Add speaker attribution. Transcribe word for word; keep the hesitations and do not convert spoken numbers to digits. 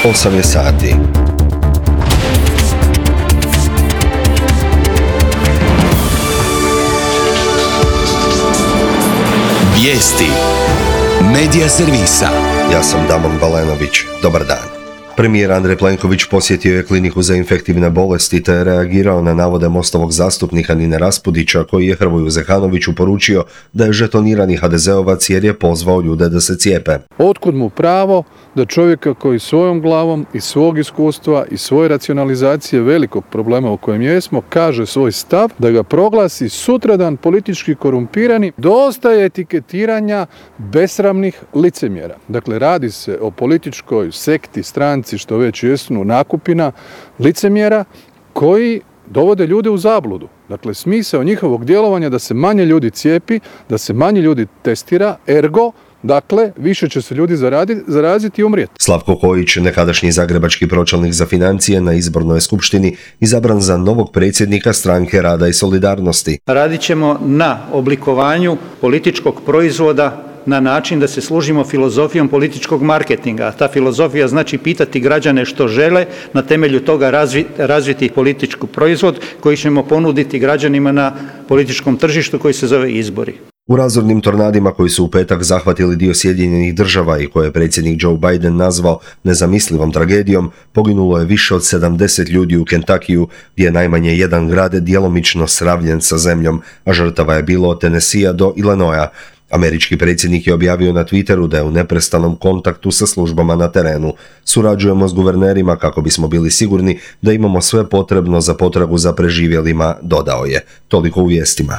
Speaker 1: osam je sati.
Speaker 2: Vijesti Medija servisa.
Speaker 1: Ja sam Damon Balenović. Dobar dan. Premijer Andrej Plenković posjetio je kliniku za infektivne bolesti te je reagirao na navode Mostovog zastupnika Nine Raspudića koji je Hrvoju Zekanoviću poručio da je žetonirani ha de zeovac jer je pozvao ljude da se cijepe.
Speaker 3: Otkud mu pravo da čovjeka koji svojom glavom i svog iskustva i svoje racionalizacije velikog problema u kojem jesmo kaže svoj stav, da ga proglasi sutradan politički korumpirani, dosta je etiketiranja besramnih licemjera. Dakle, radi se o političkoj sekti, stranci, što već jesu, nakupina licemjera koji dovode ljude u zabludu. Dakle, smisao njihovog djelovanja da se manje ljudi cijepi, da se manje ljudi testira, ergo, dakle, više će se ljudi zaraditi, zaraziti i umrijeti.
Speaker 1: Slavko Kojić, nekadašnji zagrebački pročelnik za financije, na izbornoj skupštini izabran za novog predsjednika Stranke rada i solidarnosti.
Speaker 4: Radit ćemo na oblikovanju političkog proizvoda na način da se služimo filozofijom političkog marketinga. Ta filozofija znači pitati građane što žele, na temelju toga razvi, razviti politički proizvod koji ćemo ponuditi građanima na političkom tržištu koji se zove izbori.
Speaker 1: U razornim tornadima koji su u petak zahvatili dio Sjedinjenih država i koje je predsjednik Joe Biden nazvao nezamislivom tragedijom, poginulo je više od sedamdeset ljudi u Kentakiju, gdje je najmanje jedan grad djelomično sravljen sa zemljom, a žrtava je bilo od Tennesseea do Illinoisa. Američki predsjednik je objavio na Twitteru da je u neprestanom kontaktu sa službama na terenu. Surađujemo s guvernerima kako bismo bili sigurni da imamo sve potrebno za potragu za preživjelima, dodao je. Toliko u vijestima.